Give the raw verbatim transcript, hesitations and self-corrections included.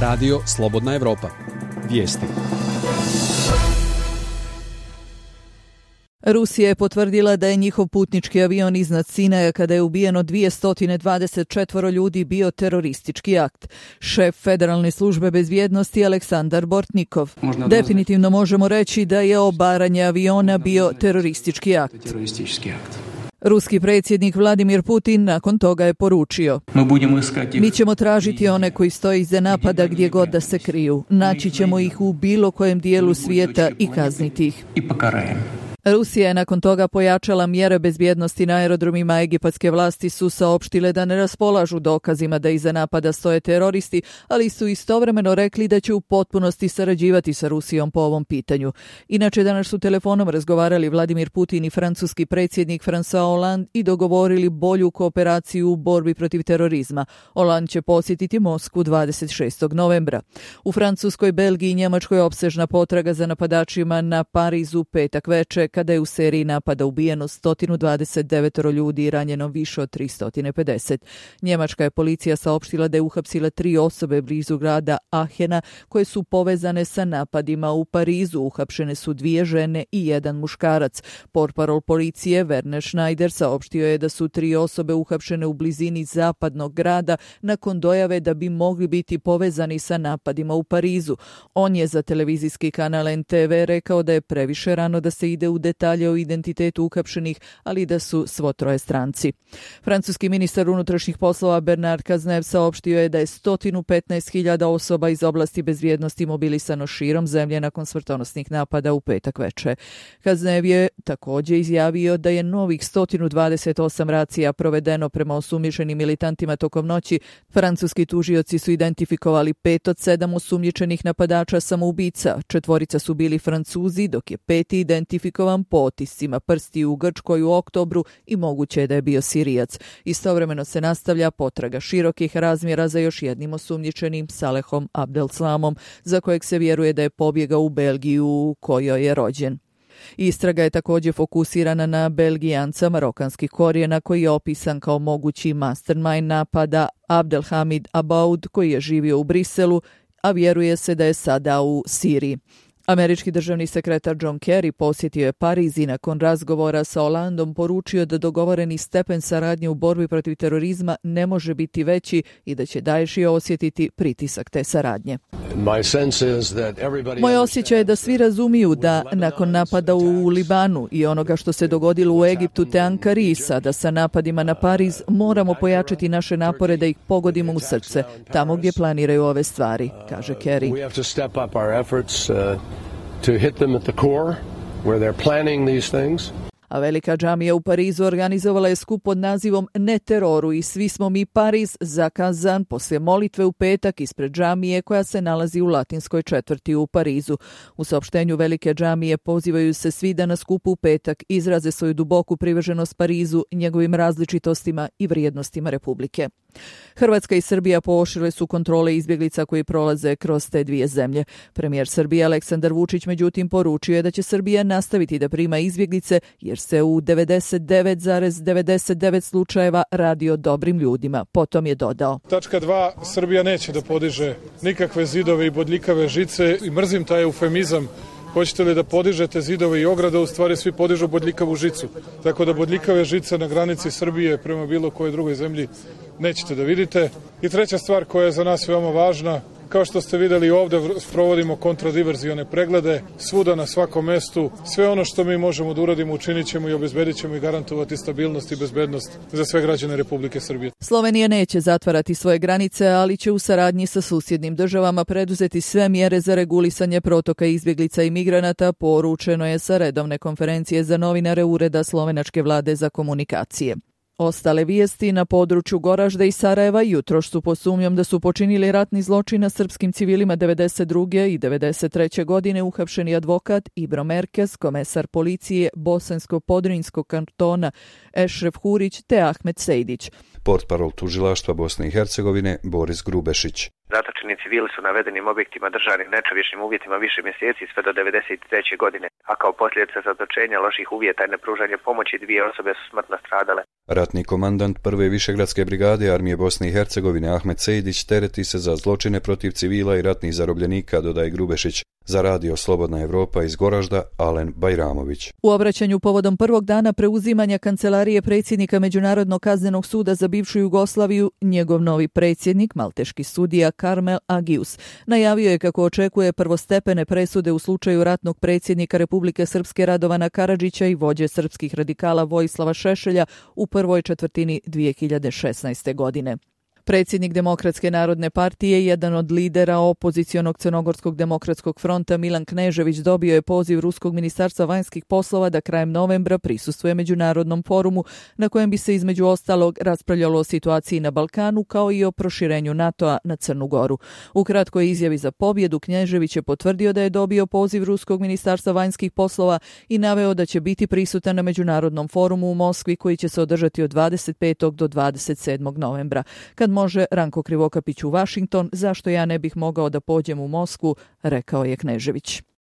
Radio Slobodna Evropa. Vijesti. Rusija je potvrdila da je njihov putnički avion iznad Sinaja kada je ubijeno dvjesto dvadeset četiri ljudi bio teroristički akt. Šef Federalne službe bezbjednosti Aleksandar Bortnikov. Možda Definitivno možemo reći da je obaranje aviona bio teroristički akt. Teroristički akt. Ruski predsjednik Vladimir Putin nakon toga je poručio: Mi ćemo tražiti one koji stoje iza napada gdje god da se kriju. Naći ćemo ih u bilo kojem dijelu svijeta i kazniti ih. Rusija je nakon toga pojačala mjere bezbjednosti na aerodromima. Egipatske vlasti su saopštile da ne raspolažu dokazima da iza napada stoje teroristi, ali su istovremeno rekli da će u potpunosti sarađivati sa Rusijom po ovom pitanju. Inače, danas su telefonom razgovarali Vladimir Putin i francuski predsjednik François Hollande i dogovorili bolju kooperaciju u borbi protiv terorizma. Hollande će posjetiti Moskvu dvadeset šestog novembra. U Francuskoj, Belgiji i Njemačkoj opsežna potraga za napadačima na Parizu petak veče, kada je u seriji napada ubijeno sto dvadeset devet ljudi i ranjeno više od tristo pedeset. Njemačka je policija saopštila da je uhapsila tri osobe blizu grada Ahena koje su povezane sa napadima u Parizu. Uhapšene su dvije žene i jedan muškarac. Portparol policije Werner Schneider saopštio je da su tri osobe uhapšene u blizini zapadnog grada nakon dojave da bi mogli biti povezani sa napadima u Parizu. On je za televizijski kanal N T V rekao da je previše rano da se ide u detalje o identitetu uhapšenih, ali da su svo troje stranci. Francuski ministar unutrašnjih poslova Bernard Cazeneuve saopštio je da je sto petnaest hiljada osoba iz oblasti bezbjednosti mobilisano širom zemlje nakon smrtonosnih napada u petak veče. Cazeneuve je također izjavio da je novih sto dvadeset osam racija provedeno prema osumnjičenim militantima tokom noći. Francuski tužioci su identifikovali pet od sedam osumnjičenih napadača samoubica. Četvorica su bili Francuzi, dok je peti identifikovan po otiscima prsti u Grčkoj u oktobru i moguće je da je bio Sirijac. Istovremeno se nastavlja potraga širokih razmjera za još jednim osumnjičenim, Salehom Abdelslamom, za kojeg se vjeruje da je pobjegao u Belgiju u kojoj je rođen. Istraga je također fokusirana na Belgijanca marokanskih korijena koji je opisan kao mogući mastermind napada, Abdelhamid Abaoud, koji je živio u Briselu, a vjeruje se da je sada u Siriji. Američki državni sekretar John Kerry posjetio je Pariz i nakon razgovora sa Hollandom poručio da dogovoreni stepen saradnje u borbi protiv terorizma ne može biti veći i da će Daesh osjetiti pritisak te saradnje. Moj osjećaj je da svi razumiju da nakon napada u Libanu i onoga što se dogodilo u Egiptu te Ankari, sada sa napadima na Pariz, moramo pojačati naše napore da ih pogodimo u srce, tamo gdje planiraju ove stvari, kaže Kerry. To hit them at the core where they're planning these things. A velika džamija u Parizu organizovala je skup pod nazivom Ne teroru i svi smo mi Pariz, zakazan poslije molitve u petak ispred džamije koja se nalazi u latinskoj četvrti u Parizu. U saopštenju velike džamije pozivaju se svi da na skupu u petak izraze svoju duboku privrženost Parizu, njegovim različitostima i vrijednostima Republike. Hrvatska i Srbija pooštrile su kontrole izbjeglica koji prolaze kroz te dvije zemlje. Premijer Srbije Aleksandar Vučić međutim poručio je da će Srbija nastaviti da prima izbjeglice jer se u devedeset devet zarez devedeset devet slučajeva radi o dobrim ljudima. Potom je dodao: Tačka dva. Srbija neće da podiže nikakve zidove i bodljikave žice i mrzim taj eufemizam. Hoćete li da podižete zidove i ograde, u stvari svi podižu bodljikavu žicu. Tako da bodljikave žice na granici Srbije prema bilo kojoj drugoj zemlji nećete da vidite. I treća stvar koja je za nas veoma važna, kao što ste videli ovdje provodimo kontradiverzione preglede, svuda na svakom mestu. Sve ono što mi možemo da uradimo učinit ćemo i obezbedit ćemo i garantovati stabilnost i bezbednost za sve građane Republike Srbije. Slovenija neće zatvarati svoje granice, ali će u saradnji sa susjednim državama preduzeti sve mjere za regulisanje protoka izbjeglica i migranata, poručeno je sa redovne konferencije za novinare Ureda slovenačke vlade za komunikacije. Ostale vijesti na području Goražde i Sarajeva jutros su pod sumnjom da su počinili ratni zločin na srpskim civilima devedeset druge i devedeset treće godine uhapšeni advokat Ibro Merkez, komesar policije Bosansko-Podrinjskog kantona Ešref Hurić te Ahmet Sejdić. Portparol tužilaštva Bosne i Hercegovine Boris Grubešić. Zatočeni civili su navedenim objektima držani nečovječnim uvjetima više mjeseci sve do devedeset treće godine, a kao posljedica zatočenja, loših uvjeta i nepružanja pomoći dvije osobe su smrtno stradale. Ratni komandant prve višegradske brigade armije Bosne i Hercegovine Ahmet Sejdić tereti se za zločine protiv civila i ratnih zarobljenika, dodaje Grubešić. Za radio Slobodna Evropa iz Goražda, Alen Bajramović. U obraćanju povodom prvog dana preuzimanja kancelarije predsjednika Međunarodnog kaznenog suda za bivšu Jugoslaviju, njegov novi predsjednik, malteški sudija Karmel Agius, najavio je kako očekuje prvostepene presude u slučaju ratnog predsjednika Republike Srpske Radovana Karadžića i vođe srpskih radikala Vojislava Šešelja u prvoj četvrtini dvije hiljade šesnaeste. godine. Predsjednik Demokratske narodne partije, jedan od lidera opozicionog Crnogorskog demokratskog fronta Milan Knežević dobio je poziv Ruskog ministarstva vanjskih poslova da krajem novembra prisustvuje međunarodnom forumu na kojem bi se između ostalog raspravljalo o situaciji na Balkanu kao i o proširenju NATO-a na Crnu Goru. U kratkoj izjavi za pobjedu Knežević je potvrdio da je dobio poziv Ruskog ministarstva vanjskih poslova i naveo da će biti prisutan na međunarodnom forumu u Moskvi koji će se održati od dvadeset petog do dvadeset sedmog novembra. Kad može Ranko Krivokapić u Washington, zašto ja ne bih mogao da pođem u Moskvu, rekao je Knežević.